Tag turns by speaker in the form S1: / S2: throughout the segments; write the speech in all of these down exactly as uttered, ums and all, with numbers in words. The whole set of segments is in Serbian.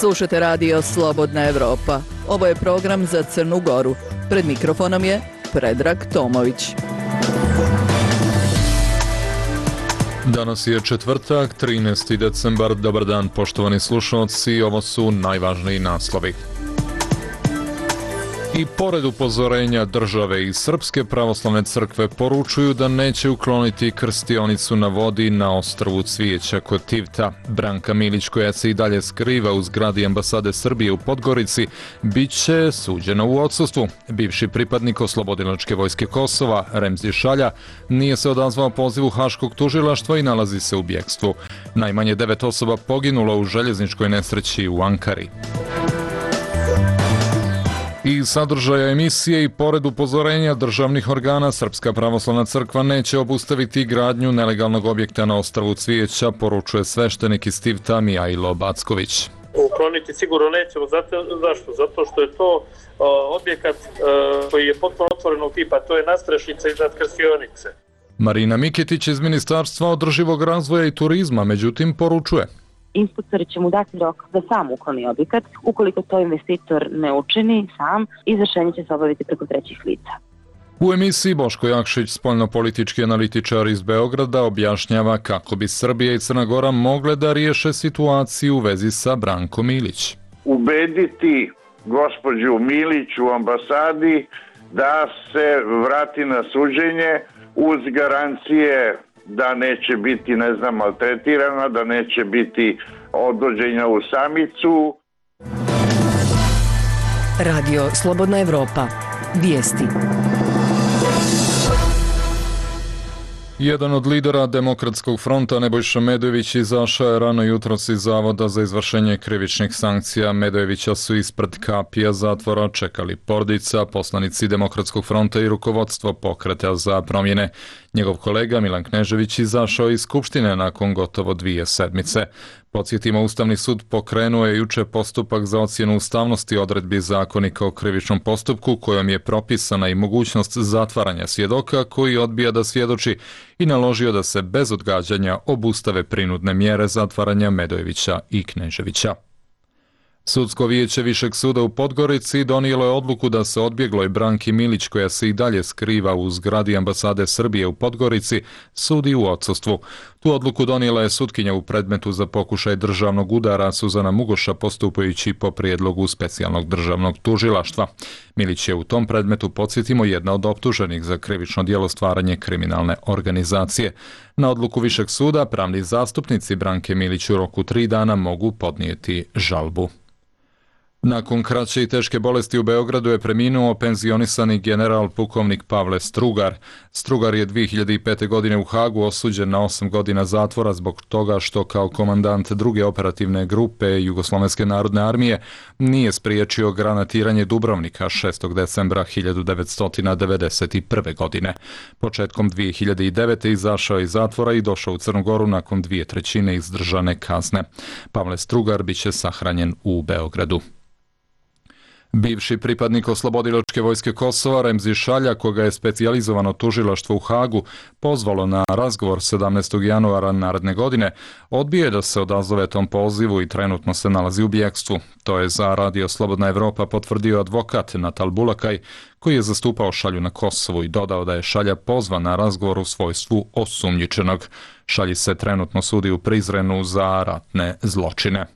S1: Slušate radio Slobodna Evropa. Ovo je program za Crnu Goru. Pred mikrofonom je Predrag Tomović.
S2: Danas je četvrtak, trinaesti decembar. Dobar dan, poštovani slušalci. Ovo su najvažniji naslovi. I pored upozorenja države i Srpske pravoslavne crkve poručuju da neće ukloniti krstionicu na vodi na ostrvu Cvijeća kod Tivta. Branka Milić, koja se i dalje skriva u zgradi ambasade Srbije u Podgorici, bit će suđena u odsustvu. Bivši pripadnik Oslobodilačke vojske Kosova, Remzi Šalja, nije se odazvao pozivu Haškog tužilaštva i nalazi se u bjegstvu. Najmanje devet osoba poginulo u željezničkoj nesreći u Ankari. I sadržaja emisije i pored upozorenja državnih organa, Srpska pravoslavna crkva neće obustaviti gradnju nelegalnog objekta na ostrvu Cvijeća, poručuje sveštenik iz Tivta Mijajlo Backović.
S3: Ukloniti sigurno nećemo. Zato, zašto? Zato što je to o, objekat o, koji je potpuno otvorenog tipa, to je nadstrešnica iznad krstionice.
S2: Marina Miketić iz Ministarstva održivog razvoja i turizma, međutim, poručuje:
S4: Inspektori će mu dati rok da sam ukloni objekat. Ukoliko to investitor ne učini sam, izvršenje će se obaviti preko trećih lica.
S2: U emisiji Boško Jakšić, spoljnopolitički analitičar iz Beograda, objašnjava kako bi Srbija i Crna Gora mogle da riješe situaciju u vezi sa Brankom Milić.
S5: Ubediti gospođu Milić u ambasadi da se vrati na suđenje uz garancije da neće biti, ne znam, maltretirana, da neće biti odvođenja u samicu.
S6: Radio Slobodna Evropa. Vijesti.
S2: Jedan od lidera Demokratskog fronta, Nebojša Medojević, izašao je rano jutros iz Zavoda za izvršenje krivičnih sankcija. Medojevića su ispred kapija zatvora čekali porodica, poslanici Demokratskog fronta i rukovodstvo Pokreta za promjene. Njegov kolega Milan Knežević izašao iz Skupštine nakon gotovo dvije sedmice. Podsjetimo, Ustavni sud pokrenuo je juče postupak za ocjenu ustavnosti odredbi Zakonika o krivičnom postupku, kojom je propisana i mogućnost zatvaranja svjedoka koji odbija da svjedoči, i naložio da se bez odgađanja obustave prinudne mjere zatvaranja Medojevića i Kneževića. Sudsko vijeće Višeg suda u Podgorici donijelo je odluku da se odbjegloj Branki Milić, koja se i dalje skriva u zgradi ambasade Srbije u Podgorici, sudi u odsustvu. Tu odluku donijela je sutkinja u predmetu za pokušaj državnog udara Suzana Mugoša, postupajući po prijedlogu specijalnog državnog tužilaštva. Milić je u tom predmetu, podsjetimo, jedna od optuženih za krivično djelo stvaranje kriminalne organizacije. Na odluku Višeg suda pravni zastupnici Branke Milić u roku tri dana mogu podnijeti žalbu. Nakon kraće i teške bolesti u Beogradu je preminuo penzionisani general pukovnik Pavle Strugar. Strugar je dvije hiljade pete. godine u Hagu osuđen na osam godina zatvora zbog toga što kao komandant druge operativne grupe Jugoslovenske narodne armije nije spriječio granatiranje Dubrovnika šestog decembra hiljadu devetsto devedeset prve. godine. Početkom dvije hiljade devete. izašao je iz zatvora i došao u Crnu Goru nakon dvije trećine izdržane kazne. Pavle Strugar biće sahranjen u Beogradu. Bivši pripadnik Oslobodilačke vojske Kosova, Remzi Šalja, koga je specijalizovano tužilaštvo u Hagu pozvalo na razgovor sedamnaestog januara naredne godine, odbije da se odazove tom pozivu i trenutno se nalazi u bjegstvu. To je za Radio Slobodna Evropa potvrdio advokat Natal Bulakaj, koji je zastupao Šalju na Kosovu, i dodao da je Šalja pozvan na razgovor u svojstvu osumnjičenog. Šalji se trenutno sudi u Prizrenu za ratne zločine.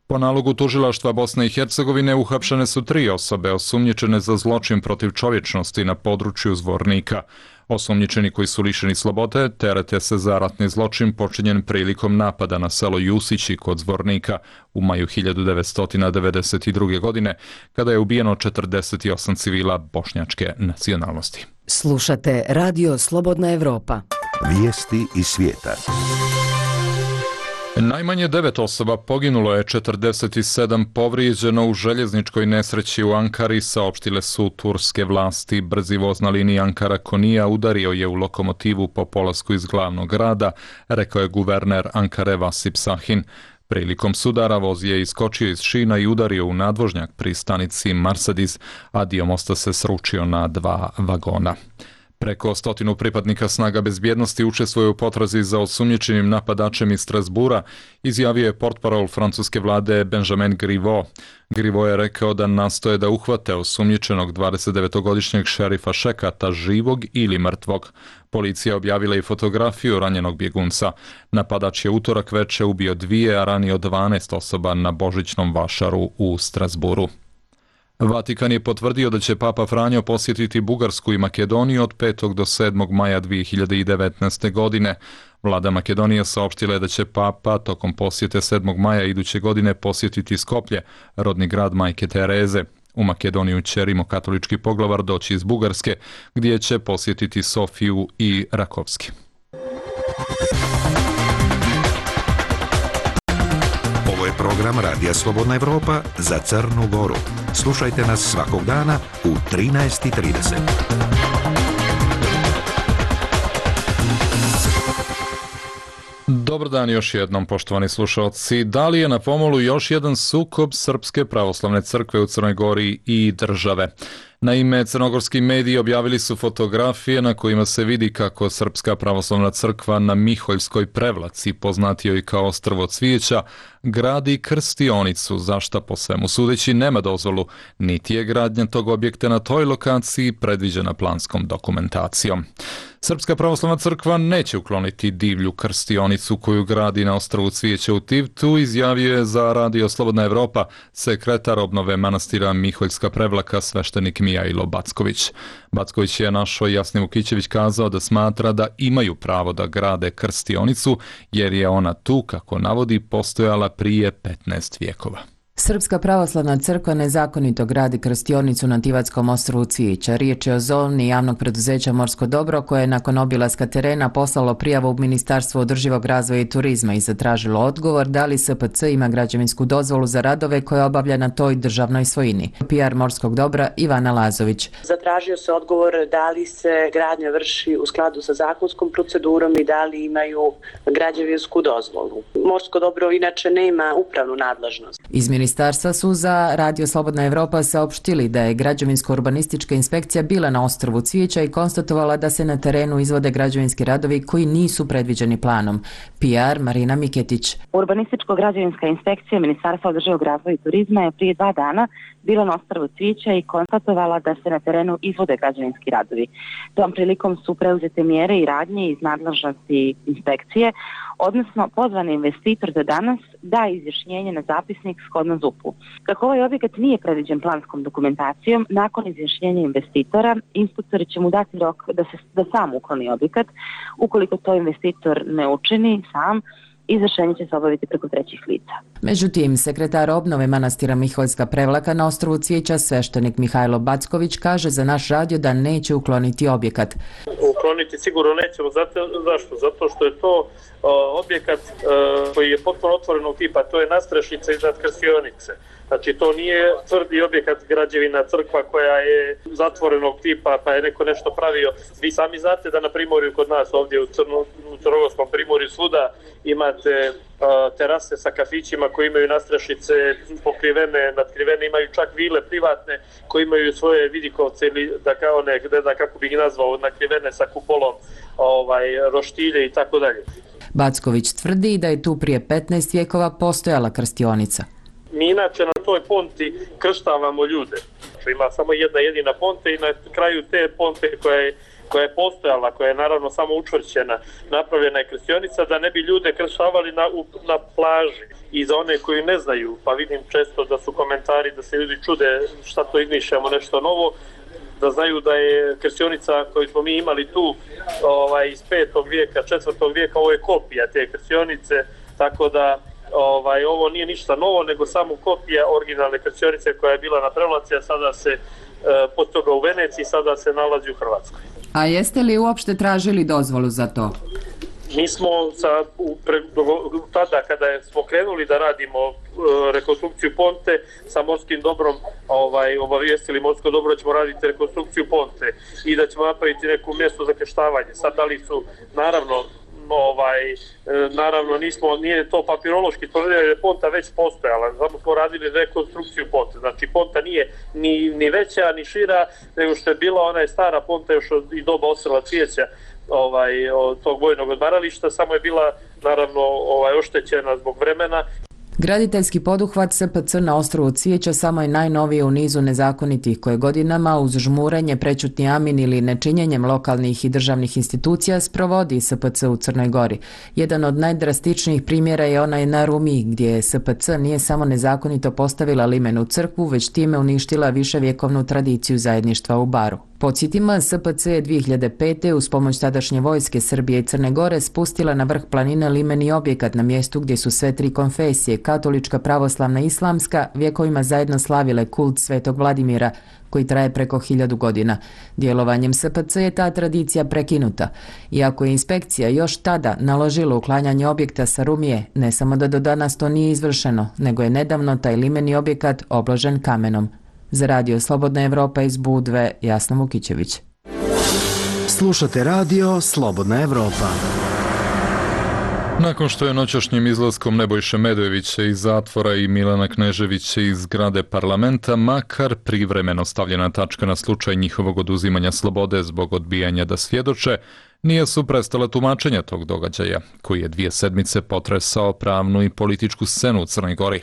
S2: Po nalogu tužilaštva Bosne i Hercegovine uhapšene su tri osobe osumnjičene za zločin protiv čovječnosti na području Zvornika. Osumnjičeni koji su lišeni slobode terete se za ratni zločin počinjen prilikom napada na selo Jusići kod Zvornika u maju hiljadu devetsto devedeset druge. godine, kada je ubijeno četrdeset osam civila bošnjačke nacionalnosti.
S6: Slušate Radio Slobodna Evropa.
S7: Vijesti iz svijeta.
S2: Najmanje devet osoba poginulo je, četrdeset sedam povrijeđeno u željezničkoj nesreći u Ankari, saopštile su turske vlasti. Brzi voz na liniji Ankara-Konija udario je u lokomotivu po polasku iz glavnog grada, rekao je guverner Ankare Vasip Sahin. Prilikom sudara voz je iskočio iz šina i udario u nadvožnjak pri stanici Marsadiz, a dio mosta se sručio na dva vagona. Preko stotinu pripadnika snaga bezbjednosti učestvuje u potrazi za osumnjičenim napadačem iz Strasbura, izjavio je portparol francuske vlade Benjamin Griveaux. Griveaux je rekao da nastoje da uhvate osumnjičenog dvadesetdevetogodišnjeg šerifa Šekata živog ili mrtvog. Policija objavila i fotografiju ranjenog bjegunca. Napadač je utorak veče ubio dvije, a ranio dvanaest osoba na božićnom vašaru u Strasburu. Vatikan je potvrdio da će Papa Franjo posjetiti Bugarsku i Makedoniju od petog do sedmog maja dvije hiljade devetnaeste. godine. Vlada Makedonije saopštila je da će Papa tokom posjete sedmog maja iduće godine posjetiti Skoplje, rodni grad Majke Tereze. U Makedoniju će rimokatolički poglavar doći iz Bugarske, gdje će posjetiti Sofiju i Rakovski.
S7: Ovo je program Radija Slobodna Evropa za Crnu Goru. Slušajte nas svakog dana u trinaest i trideset.
S2: Dobar dan još jednom, poštovani slušalci. Da li je na pomolu još jedan sukob Srpske pravoslavne crkve u Crnoj Gori i države? Naime, crnogorski mediji objavili su fotografije na kojima se vidi kako Srpska pravoslavna crkva na Miholjskoj Prevlaci, poznatijoj kao Ostrvo cvijeća, gradi krstionicu, za šta po svemu sudeći nema dozvolu, niti je gradnja tog objekta na toj lokaciji predviđena planskom dokumentacijom. Srpska pravoslavna crkva neće ukloniti divlju krstionicu koju gradi na Ostrvu cvijeća u Tivtu, izjavio je za Radio Slobodna Evropa sekretar obnove manastira Miholjska Prevlaka sveštenik Mihailo Backović. Backović je našoj Jasni Vukićević kazao da smatra da imaju pravo da grade krstionicu jer je ona tu, kako navodi, postojala prije petnaest vijekova.
S8: Srpska pravoslavna crkva nezakonito gradi krstionicu na Tivatskom ostrvu Cvijeća. Riječ je o zoni javnog preduzeća Morsko dobro koje je nakon obilaska terena poslalo prijavu u Ministarstvo održivog razvoja i turizma i zatražilo odgovor da li S P C ima građevinsku dozvolu za radove koje obavlja na toj državnoj svojini. P R Morskog dobra Ivana Lazović.
S9: Zatražio se odgovor da li se gradnja vrši u skladu sa zakonskom procedurom i da li imaju građevinsku dozvolu. Morsko dobro inače nema upravnu nadležnost.
S8: Iz Ministarstva su za Radio Slobodna Evropa saopštili da je građevinsko-urbanistička inspekcija bila na ostrvu Cvijeća i konstatovala da se na terenu izvode građevinski radovi koji nisu predviđeni planom. P R Marina Miketić.
S4: Urbanističko-građevinska inspekcija Ministarstva održivog razvoja i turizma je prije dva dana bila na ostrvu Cvijeća i konstatovala da se na terenu izvode građevinski radovi. Tom prilikom su preuzete mjere i radnje iz nadležnosti inspekcije, odnosno pozvan investitor da danas da izjašnjenje na zapisnik shodno Z U P-u. Kako ovaj objekat nije predviđen planskom dokumentacijom, nakon izjašnjenja investitora, inspektori će mu dati rok da se da sam ukloni objekat. Ukoliko to investitor ne učini sam, izvršenje će se obaviti preko trećih lica.
S8: Međutim, sekretar obnove manastira Miholjska Prevlaka na ostrvu Cvijeća, sveštenik Mihailo Backović, kaže za naš radio da neće ukloniti objekat.
S3: Ukloniti sigurno nećemo. Zato, zašto? Zato što je to uh, objekat uh, koji je potpuno otvorenog tipa, to je nastrešnica iznad krstionice. Znači to nije tvrdi objekat građevina crkva koja je zatvorenog tipa pa je neko nešto pravio. Vi sami znate da na Primorju kod nas ovdje u, Crno, u Crnogorskom Primorju svuda imate uh, terase sa kafićima koji imaju nastrešnice pokrivene, nadkrivene, imaju čak vile privatne koji imaju svoje vidikovce ili da kao ne, da kako bih ih nazvao, nakrivene sa kupolom, ovaj, roštilje i tako dalje.
S8: Backović tvrdi da je tu prije petnaest vijekova postojala krstionica.
S3: Mi inače na toj ponti krštavamo ljude. Ima samo jedna jedina ponta i na kraju te ponte koja je, koja je postojala, koja je naravno samo učvršćena, napravljena je krstionica da ne bi ljude krštavali na, na plaži. I za one koji ne znaju, pa vidim često da su komentari da se ljudi čude šta to izmišljamo nešto novo, da znaju da je krstionica koju smo mi imali tu ovaj, iz petog vijeka, četvrtog vijeka, ovo je kopija te krstionice, tako da Ovaj, ovo nije ništa novo, nego samo kopija originalne krstionice koja je bila na Prevlaci, a sada se e, pod toga u Veneciji, sada se nalazi u Hrvatskoj.
S8: A jeste li uopšte tražili dozvolu za to?
S3: Mi smo sa, u, pre, do, tada kada smo krenuli da radimo e, rekonstrukciju ponte sa Morskim dobrom, ovaj, obavijestili Morsko dobro da ćemo raditi rekonstrukciju ponte i da ćemo napraviti neku mjesto za krštavanje. Sad da li su, naravno, ovaj, e, naravno nismo, nije to papirološki tvrdili jer je ponta već postojala, samo smo radili rekonstrukciju ponte, znači ponta nije ni, ni veća ni šira nego što je bila, ona je stara ponta još od i doba Osela Cvijeća, ovaj, od tog vojnog odmarališta, samo je bila naravno ovaj, oštećena zbog vremena.
S8: Graditeljski poduhvat S P C na ostrvu Cvijeća samo je najnoviji u nizu nezakonitih koje godinama uz žmurenje, prećutni amin ili nečinjenjem lokalnih i državnih institucija sprovodi S P C u Crnoj Gori. Jedan od najdrastičnijih primjera je onaj na Rumiji gdje S P C nije samo nezakonito postavila limenu crkvu, već time uništila viševjekovnu tradiciju zajedništva u Baru. Podsjetimo, S P C je dvije hiljade pete uz pomoć tadašnje vojske Srbije i Crne Gore spustila na vrh planine limeni objekat na mjestu gdje su sve tri konfesije, katolička, pravoslavna i islamska, vjekovima zajedno slavile kult Svetog Vladimira, koji traje preko hiljadu godina. Djelovanjem S P C je ta tradicija prekinuta. Iako je inspekcija još tada naložila uklanjanje objekta sa Rumije, ne samo da do danas to nije izvršeno, nego je nedavno taj limeni objekat obložen kamenom. Za radio Slobodna Evropa iz Budve, Jasna Vukićević.
S10: Slušate radio Slobodna Evropa.
S2: Nakon što je noćašnjim izlaskom Nebojše Medojevića iz zatvora i Milana Kneževića iz zgrade parlamenta makar privremeno stavljena tačka na slučaj njihovog oduzimanja slobode zbog odbijanja da svjedoče, nije su prestala tumačenja tog događaja, koji je dvije sedmice potresao pravnu i političku scenu u Crnoj Gori.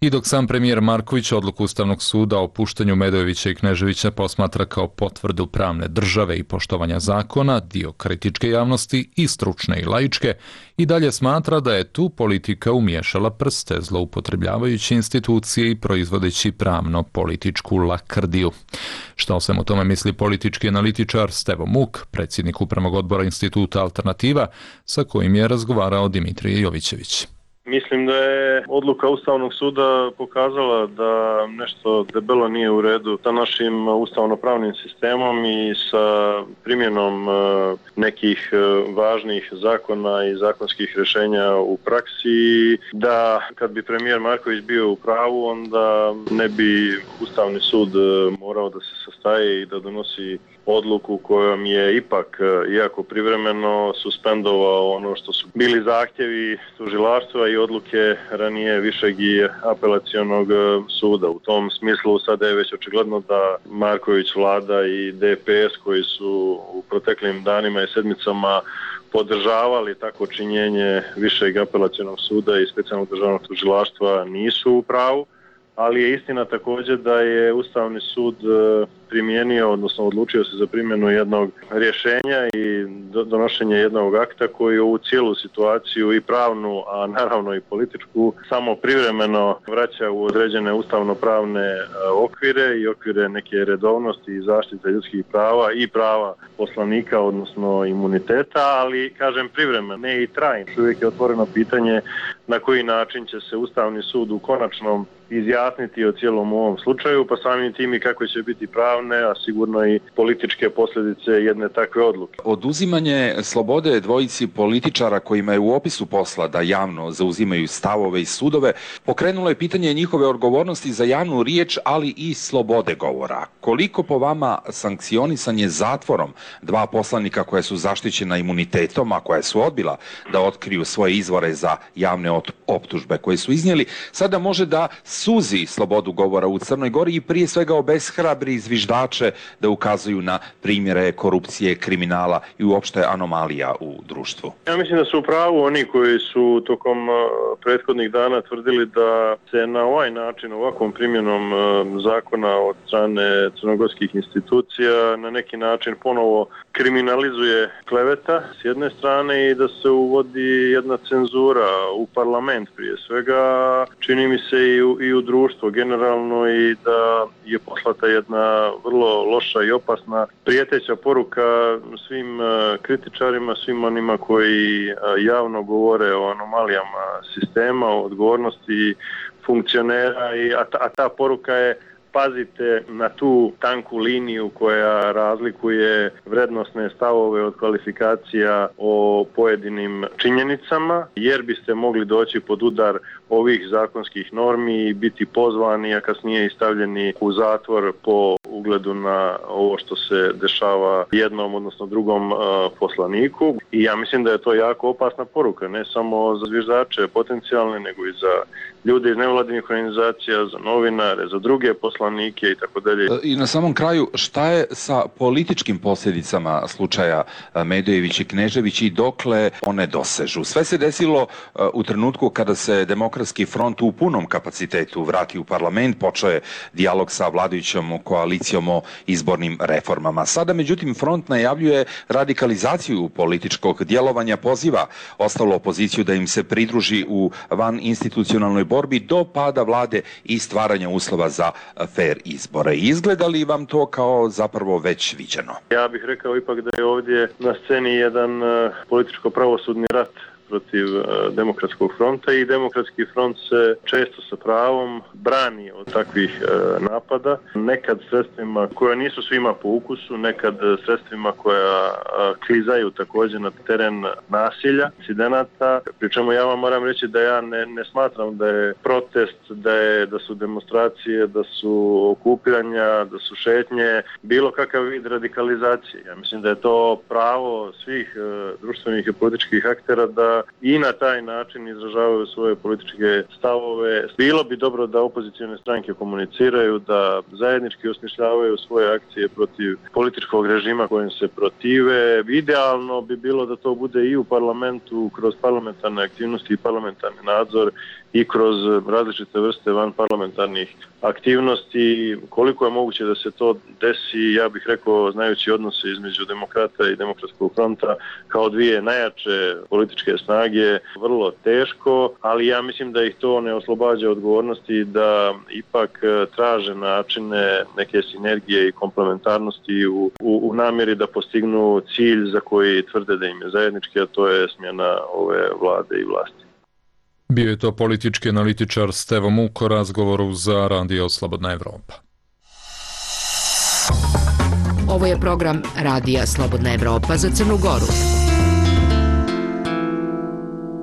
S2: I dok sam premijer Marković odluku Ustavnog suda o puštanju Medojevića i Kneževića posmatra kao potvrdu pravne države i poštovanja zakona, dio kritičke javnosti i stručne i laičke, i dalje smatra da je tu politika umiješala prste, zloupotrebljavajući institucije i proizvodeći pravno-političku lakrdiju. Šta o svemu tome misli politički analitičar Stevo Muk, predsjednik upravnog odbora instituta Alternativa, sa kojim je razgovarao Dimitrije Jovićević.
S11: Mislim da je odluka Ustavnog suda pokazala da nešto debelo nije u redu sa našim ustavnopravnim sistemom i sa primjenom nekih važnih zakona i zakonskih rješenja u praksi, da kad bi premijer Marković bio u pravu, onda ne bi Ustavni sud morao da se sastaje i da donosi odluku kojom je ipak, iako privremeno, suspendovao ono što su bili zahtjevi tužilaštva i odluke ranije višeg i apelacionog suda. U tom smislu sada je već očigledno da Marković vlada i D P S koji su u proteklim danima i sedmicama podržavali tako činjenje višeg apelacionog suda i specijalnog državnog tužilaštva nisu u pravu, ali je istina također da je Ustavni sud primijenio, odnosno odlučio se za primjenu jednog rješenja i donošenje jednog akta koji ovu cijelu situaciju i pravnu, a naravno i političku, samo privremeno vraća u određene ustavno-pravne okvire i okvire neke redovnosti i zaštite ljudskih prava i prava poslanika, odnosno imuniteta, ali kažem privremeno, ne i trajno. Uvijek je otvoreno pitanje na koji način će se Ustavni sud u konačnom izjasniti o cijelom ovom slučaju, pa samim tim i kako će biti pravne, a sigurno i političke posljedice jedne takve odluke.
S12: Oduzimanje slobode dvojici političara kojima je u opisu posla da javno zauzimaju stavove i sudove pokrenulo je pitanje njihove odgovornosti za javnu riječ, ali i slobode govora. Koliko po vama sankcionisanje zatvorom dva poslanika koja su zaštićena imunitetom, a koja su odbila da otkriju svoje izvore za javne optužbe koje su iznijeli, sada može da suzi slobodu govora u Crnoj Gori i prije svega obeshrabri zviždače da ukazuju na primjere korupcije, kriminala i uopšte anomalija u društvu?
S11: Ja mislim da su u pravu oni koji su tokom prethodnih dana tvrdili da se na ovaj način, ovakvom primjenom zakona od strane crnogorskih institucija na neki način ponovo kriminalizuje kleveta s jedne strane i da se uvodi jedna cenzura u parlament prije svega, čini mi se i u, i u društvo generalno, i da je poslata jedna vrlo loša i opasna prijeteća poruka svim kritičarima, svim onima koji javno govore o anomalijama sistema, o odgovornosti funkcionera, i, a, ta, a ta poruka je: pazite na tu tanku liniju koja razlikuje vrednosne stavove od kvalifikacija o pojedinim činjenicama, jer biste mogli doći pod udar ovih zakonskih normi i biti pozvani, a kasnije i stavljeni u zatvor po ugledu na ovo što se dešava jednom, odnosno drugom uh, poslaniku. I ja mislim da je to jako opasna poruka, ne samo za zviždače potencijalne, nego i za ljude iz nevladinih organizacija, za novinare, za druge poslanike i tako dalje.
S12: I na samom kraju, šta je sa političkim posljedicama slučaja Medojević i Knežević i dokle one dosežu? Sve se desilo u trenutku kada se Demokratski front u punom kapacitetu vrati u parlament, počeo je dijalog sa vladajućom koalicijom o izbornim reformama. Sada, međutim, front najavljuje radikalizaciju političkog djelovanja, poziva ostalu opoziciju da im se pridruži u van institucionalnoj borbi do pada vlade i stvaranja uslova za fair izbore. Izgleda li vam to kao zapravo već viđeno?
S11: Ja bih rekao ipak da je ovdje na sceni jedan uh, političko-pravosudni rat protiv uh, Demokratskog fronta i Demokratski front se često sa pravom brani od takvih uh, napada. Nekad sredstvima koja nisu svima po ukusu, nekad sredstvima koja uh, klizaju također na teren nasilja, incidenata. Pri čemu ja vam moram reći da ja ne, ne smatram da je protest, da, je, da su demonstracije, da su okupiranja, da su šetnje, bilo kakav vid radikalizacije. Ja mislim da je to pravo svih uh, društvenih i političkih aktera da i na taj način izražavaju svoje političke stavove. Bilo bi dobro da opozicione stranke komuniciraju, da zajednički osmišljavaju svoje akcije protiv političkog režima kojim se protive. Idealno bi bilo da to bude i u parlamentu, kroz parlamentarne aktivnosti i parlamentarni nadzor i kroz različite vrste vanparlamentarnih aktivnosti. Koliko je moguće da se to desi, ja bih rekao, znajući odnose između Demokrata i Demokratskog fronta kao dvije najjače političke snage, vrlo teško, ali ja mislim da ih to ne oslobađa odgovornosti, da ipak traže načine neke sinergije i komplementarnosti u, u, u namjeri da postignu cilj za koji tvrde da im je zajednički, a to je smjena ove vlade i vlasti.
S2: Bio je to politički analitičar Stevo Muk o razgovoru za Radio Slobodna Evropa.
S6: Ovo je program Radija Slobodna Evropa za Crnu Goru.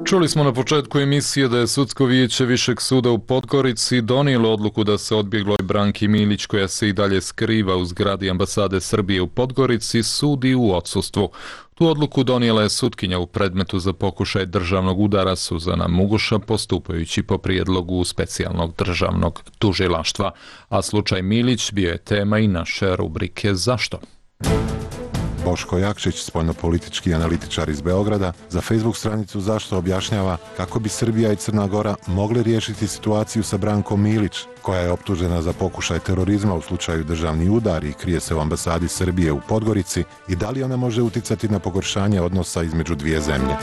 S2: Čuli smo na početku emisije da je Sudsko vijeće Višeg suda u Podgorici donijelo odluku da se odbjegloj Branki Milić, koja se i dalje skriva u zgradi ambasade Srbije u Podgorici, sudi u odsustvu. Tu odluku donijela je sutkinja u predmetu za pokušaj državnog udara Suzana Muguša, postupajući po prijedlogu specijalnog državnog tužilaštva. A slučaj Milić bio je tema i naše rubrike Zašto?
S13: Boško Jakšić, spoljnopolitički analitičar iz Beograda, za Facebook stranicu Zašto objašnjava kako bi Srbija i Crna Gora mogli riješiti situaciju sa Brankom Milić, koja je optužena za pokušaj terorizma u slučaju državni udar i krije se u ambasadi Srbije u Podgorici, i da li ona može uticati na pogoršanje odnosa između dvije zemlje.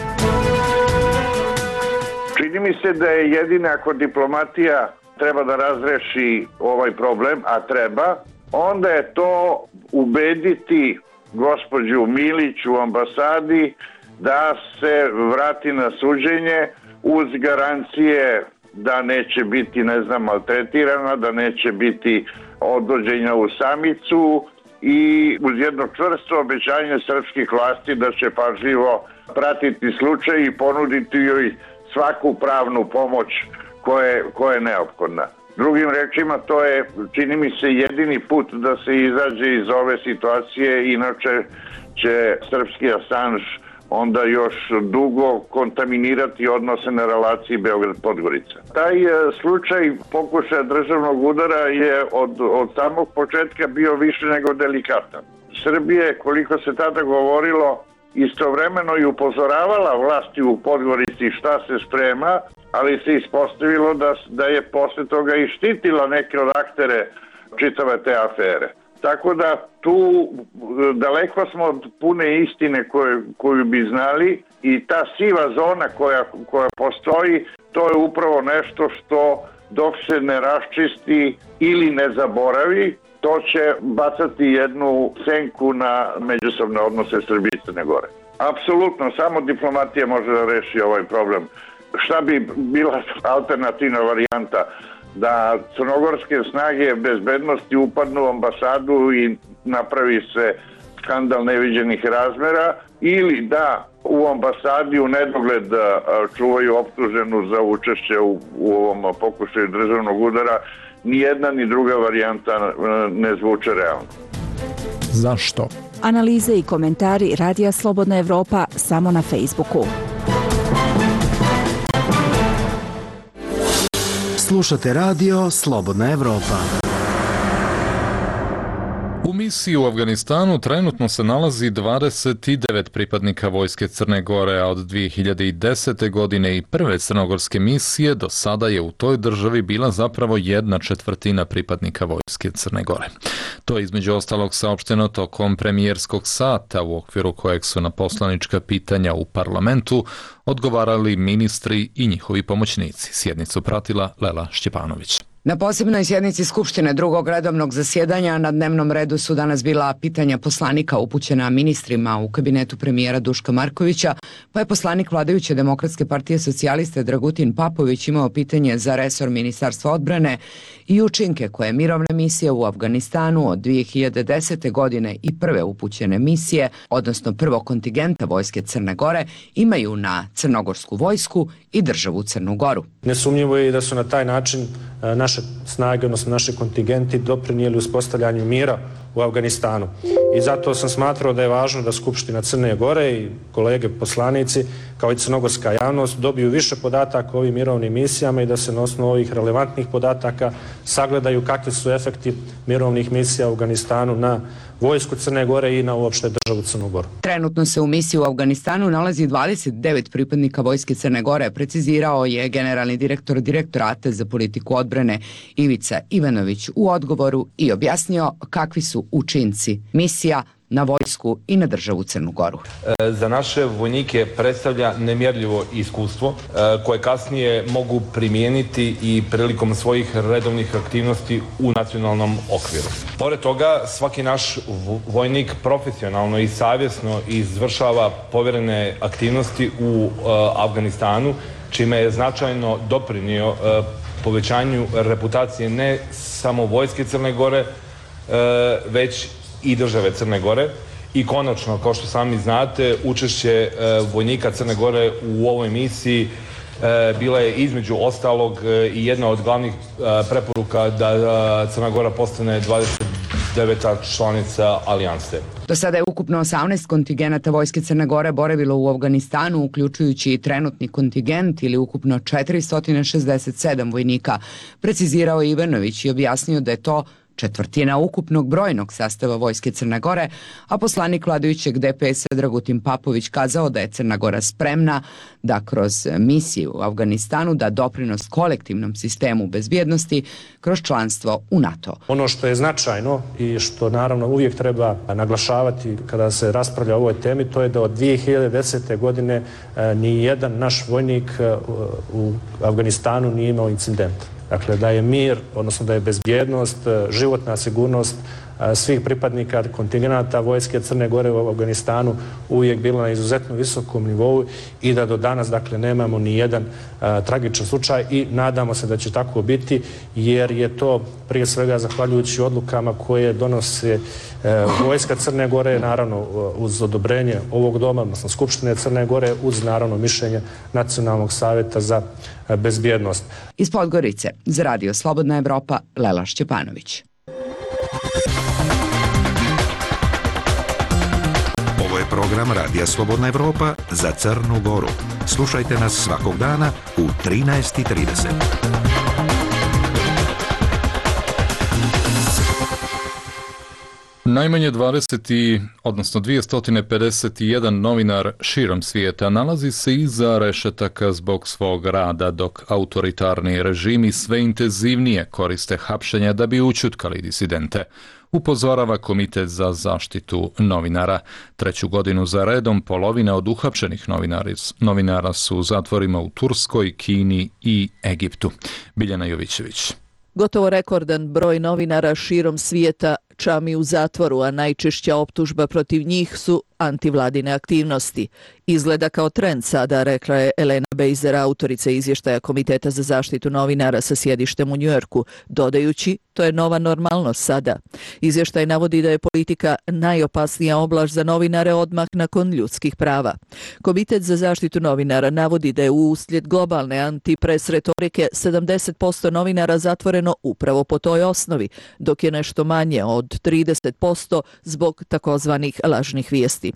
S5: Čini mi se da je jedina ako diplomatija treba da razreši ovaj problem, a treba, onda je to ubediti gospođu Milić u ambasadi da se vrati na suđenje uz garancije da neće biti, ne znam, maltretirana, da neće biti odvođenja u samicu i uz jedno čvrsto obećanje srpskih vlasti da će pažljivo pratiti slučaj i ponuditi joj svaku pravnu pomoć koje, koja je neophodna. Drugim rečima, to je, čini mi se, jedini put da se izađe iz ove situacije, inače će srpski Assange onda još dugo kontaminirati odnose na relaciji Beograd-Podgorica. Taj slučaj pokušaja državnog udara je od, od samog početka bio više nego delikatan. Srbije, koliko se tada govorilo, istovremeno i upozoravala vlasti u Podgorici šta se sprema, ali se ispostavilo da, da je posle toga i štitila neke od aktere čitave te afere. Tako da tu daleko smo od pune istine koje, koju bi znali, i ta siva zona koja, koja postoji, to je upravo nešto što dok se ne raščisti ili ne zaboravi, to će bacati jednu senku na međusobne odnose Srbije i Crne Gore. Apsolutno, samo diplomatija može da reši ovaj problem. Šta bi bila alternativna varijanta? Da crnogorske snage bezbednosti upadnu u ambasadu i napravi se skandal neviđenih razmera, ili da u ambasadi u nedogled čuvaju optuženu za učešće u, u ovom pokušaju državnog udara, ni jedna ni druga varijanta ne zvuče realno.
S14: Zašto?
S15: Analize i komentari Radija Slobodna Evropa samo na Facebooku.
S10: Slušate radio Slobodna Evropa.
S2: U misiji u Afganistanu trenutno se nalazi dvadeset devet pripadnika vojske Crne Gore, a od dvije hiljade desete. godine i prve crnogorske misije do sada je u toj državi bila zapravo jedna četvrtina pripadnika vojske Crne Gore. To je između ostalog saopšteno tokom premijerskog sata u okviru kojeg su na poslanička pitanja u parlamentu odgovarali ministri i njihovi pomoćnici. Sjednicu pratila Lela Šćepanović.
S16: Na posebnoj sjednici Skupštine drugog redovnog zasjedanja na dnevnom redu su danas bila pitanja poslanika upućena ministrima u kabinetu premijera Duška Markovića, pa je poslanik vladajuće Demokratske partije socijaliste Dragutin Papović imao pitanje za resor Ministarstva odbrane i učinke koje mirovne misije u Afganistanu od dvije hiljade desete. godine i prve upućene misije, odnosno prvog kontingenta vojske Crne Gore, imaju na crnogorsku vojsku i državu Crnu Goru.
S17: Nesumnjivo je i da su na taj način naše snage, odnosno naši kontingenti doprinijeli uspostavljanju mira u Afganistanu. I zato sam smatrao da je važno da Skupština Crne Gore i kolege poslanici, kao i crnogorska javnost, dobiju više podataka o ovim mirovnim misijama i da se na osnovu ovih relevantnih podataka sagledaju kakvi su efekti mirovnih misija u Afganistanu na vojsku Crne Gore i na uopšte državu Crnu Goru.
S16: Trenutno se u misiji u Afganistanu nalazi dvadeset devet pripadnika vojske Crne Gore, precizirao je generalni direktor Direktorata za politiku odbrane Ivica Ivanović u odgovoru i objasnio kakvi su učinci misija na vojsku i na državu Crnu Goru.
S18: Za naše vojnike predstavlja nemjerljivo iskustvo koje kasnije mogu primijeniti i prilikom svojih redovnih aktivnosti u nacionalnom okviru. Pored toga, svaki naš vojnik profesionalno i savjesno izvršava povjerene aktivnosti u Afganistanu, čime je značajno doprinio povećanju reputacije ne samo vojske Crne Gore, već i države Crne Gore. I konačno, kao što sami znate, učešće vojnika Crne Gore u ovoj misiji bila je između ostalog i jedna od glavnih preporuka da Crna Gora postane dvadeset deveta članica alijanse.
S16: Do sada je ukupno osamnaest kontingenata vojske Crne Gore boravilo u Afganistanu, uključujući i trenutni kontingent ili ukupno četiristo šezdeset sedam vojnika, precizirao je Ivanović i objasnio da je to četvrtina ukupnog brojnog sastava vojske Crne Gore, a poslanik vladajućeg D P S-a Dragutin Papović kazao da je Crna Gora spremna da kroz misiju u Afganistanu da doprinos kolektivnom sistemu bezbjednosti kroz članstvo u NATO.
S17: Ono što je značajno i što naravno uvijek treba naglašavati kada se raspravlja o ovoj temi, to je da od dvije hiljade desete. godine ni jedan naš vojnik u Afganistanu nije imao incident. Dakle, da je mir, odnosno da je bezbjednost, životna sigurnost svih pripadnika kontingenata vojske Crne Gore u Afganistanu uvijek bila na izuzetno visokom nivou i da do danas, dakle, nemamo ni jedan a, tragičan slučaj i nadamo se da će tako biti, jer je to prije svega zahvaljujući odlukama koje donose e, vojska Crne Gore, naravno uz odobrenje ovog doma, odnosno Skupštine Crne Gore, uz naravno mišljenje Nacionalnog savjeta za bezbjednost.
S16: Iz Podgorice za Radio Slobodna Evropa, Lela Šćepanović.
S7: Ovo je program Radija Slobodna Evropa za Crnu Goru. Slušajte nas svakog dana u trinaest i trideset.
S2: Najmanje dvadeset, odnosno dvjesto pedeset jedan novinar širom svijeta nalazi se iza rešetaka zbog svog rada, dok autoritarni režimi sve intenzivnije koriste hapšenja da bi ućutkali disidente. Upozorava Komitet za zaštitu novinara. Treću godinu za redom polovina od uhapšenih novinara su u zatvorima u Turskoj, Kini i Egiptu. Biljana Jovićević.
S1: Gotovo rekordan broj novinara širom svijeta Čami u zatvoru, a najčešća optužba protiv njih su antivladine aktivnosti. Izgleda kao trend sada, rekla je Elena Bejzer, autorica izvještaja Komiteta za zaštitu novinara sa sjedištem u Njujorku, dodajući, to je nova normalnost sada. Izvještaj navodi da je politika najopasnija oblast za novinare odmah nakon ljudskih prava. Komitet za zaštitu novinara navodi da je uslijed globalne antipres retorike sedamdeset posto novinara zatvoreno upravo po toj osnovi, dok je nešto manje od trideset posto zbog takozvanih lažnih vijesti.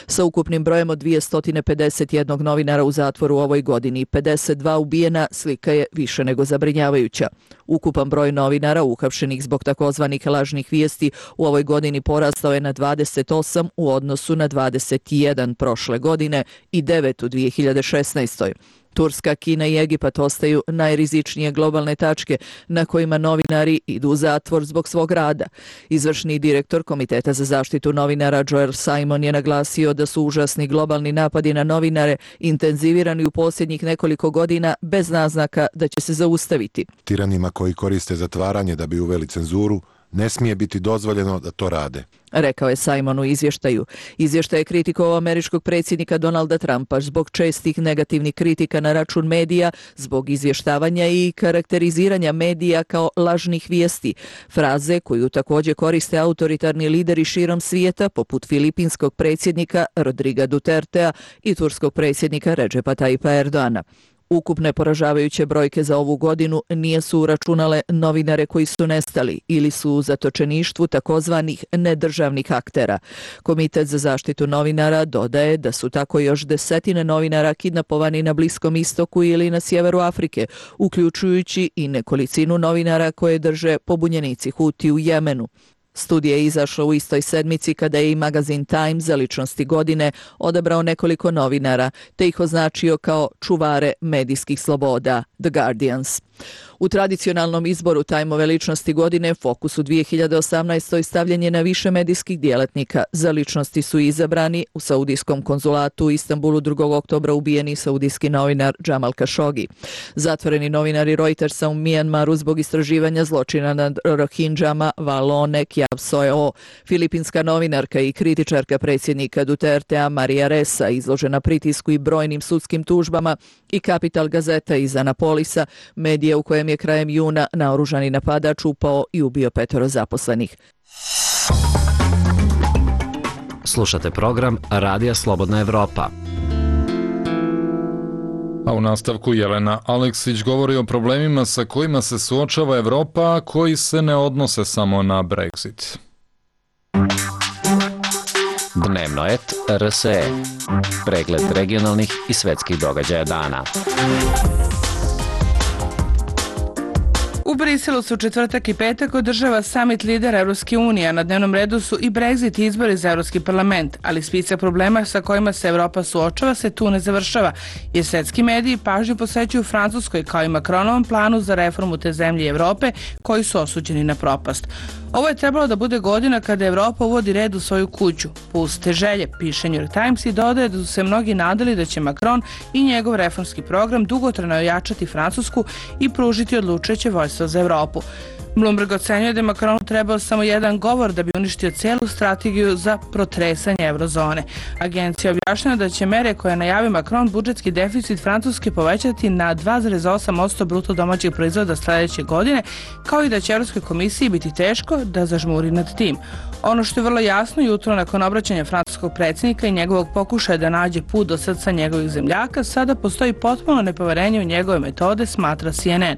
S1: Sa ukupnim brojem od dvjesto pedeset jedan novinara u zatvoru u ovoj godini i pedeset dva ubijena, slika je više nego zabrinjavajuća. Ukupan broj novinara uhapšenih zbog takozvanih lažnih vijesti u ovoj godini porastao je na dvadeset osam u odnosu na dvadeset jedan prošle godine i devet u dvije hiljade šesnaestoj. Turska, Kina i Egipat ostaju najrizičnije globalne tačke na kojima novinari idu u zatvor zbog svog rada. Izvršni direktor Komiteta za zaštitu novinara Joel Simon je naglasio da su užasni globalni napadi na novinare intenzivirani u posljednjih nekoliko godina bez naznaka da će se zaustaviti.
S13: Tiranima koji koriste zatvaranje da bi uveli cenzuru, ne smije biti dozvoljeno da to rade,
S1: rekao je Simon u izvještaju. Izvještaj je kritikovao američkog predsjednika Donalda Trumpa zbog čestih negativnih kritika na račun medija, zbog izvještavanja i karakteriziranja medija kao lažnih vijesti, fraze koju također koriste autoritarni lideri širom svijeta poput filipinskog predsjednika Rodriga Dutertea i turskog predsjednika Redžepa Tayyipa Erdoana. Ukupne poražavajuće brojke za ovu godinu nisu uračunale novinare koji su nestali ili su u zatočeništvu takozvanih nedržavnih aktera. Komitet za zaštitu novinara dodaje da su tako još desetine novinara kidnapovani na Bliskom istoku ili na sjeveru Afrike, uključujući i nekolicinu novinara koje drže pobunjenici Huti u Jemenu. Studija je izašla u istoj sedmici kada je i magazin Time za ličnosti godine odabrao nekoliko novinara, te ih označio kao čuvare medijskih sloboda, The Guardians. U tradicionalnom izboru Time-ove ličnosti godine fokus u dvije hiljade osamnaestoj stavljen je na više medijskih djelatnika. Za ličnosti su izabrani u saudijskom konzulatu u Istanbulu drugog oktobra ubijeni saudijski novinar Jamal Khashoggi. Zatvoreni novinari Reutersa u Mijanmaru zbog istraživanja zločina nad Rohingjama Valone Kjavsoeo. Filipinska novinarka i kritičarka predsjednika Dutertea Maria Ressa izložena pritisku i brojnim sudskim tužbama i Capital Gazeta iz Anapolisa, medija u kojem je krajem juna naoružani napadač upao i ubio petoro zaposlenih.
S19: Slušate program Radija Slobodna Evropa.
S2: A u nastavku Jelena Aleksić govori o problemima sa kojima se suočava Evropa, koji se ne odnose samo na Brexit.
S19: Dnevno et R S E. Pregled regionalnih i svetskih događaja dana.
S20: U Briselu su četvrtak i petak održava summit lidera Evropske unije, a na dnevnom redu su i Brexit i izbori za Evropski parlament, ali spisak problema sa kojima se Evropa suočava se tu ne završava, jer svetski mediji pažnju posvećuju Francuskoj kao i Macronovom planu za reformu te zemlje i Evrope koji su osuđeni na propast. Ovo je trebalo da bude godina kada Evropa uvodi red u svoju kuću. Puste želje, piše New York Times i dodaje da su se mnogi nadali da će Macron i njegov reformski program dugotrajno ojačati Francusku i pružiti odlučujuće vođstvo za Evropu. Bloomberg ocenjuje da je Macronu trebao samo jedan govor da bi uništio cijelu strategiju za protresanje eurozone. Agencija objašnjava da će mere koje najavi Macron budžetski deficit Francuske povećati na dva zarez osam posto bruto domaćeg proizvoda sljedeće godine, kao i da će Europskoj komisiji biti teško da zažmuri nad tim. Ono što je vrlo jasno jutro nakon obraćanja francuskog predsjednika i njegovog pokušaja da nađe put do srca njegovih zemljaka, sada postoji potpuno nepoverenje u njegove metode, smatra C N N.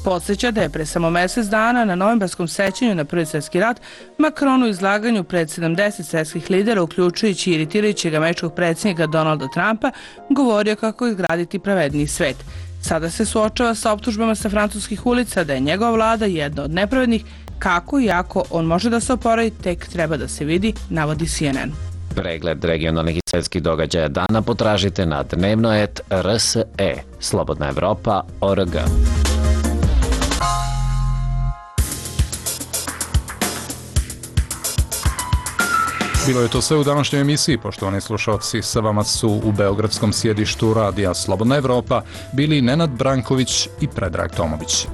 S20: Podsjeća da je pre samo mjesec dana na novembarskom sećanju na Prvi svjetski rat Macron u izlaganju pred sedamdeset svjetskih lidera, uključujući i iritirajućeg američkog predsjednika Donalda Trumpa, govorio kako izgraditi pravedniji svet. Sada se suočava sa optužbama sa francuskih ulica da je njegova vlada jedna od nepravednih. Kako i ako on može da se oporavi, tek treba da se vidi, navodi C N N.
S19: Pregled regionalnih i svetskih događaja dana potražite na dnevno et R S E, Slobodna Evropa, O R G.
S2: Bilo je to sve u današnjoj emisiji, poštovani slušalci. Sa vama su u beogradskom sjedištu Radija Slobodna Evropa bili Nenad Branković i Predrag Tomović.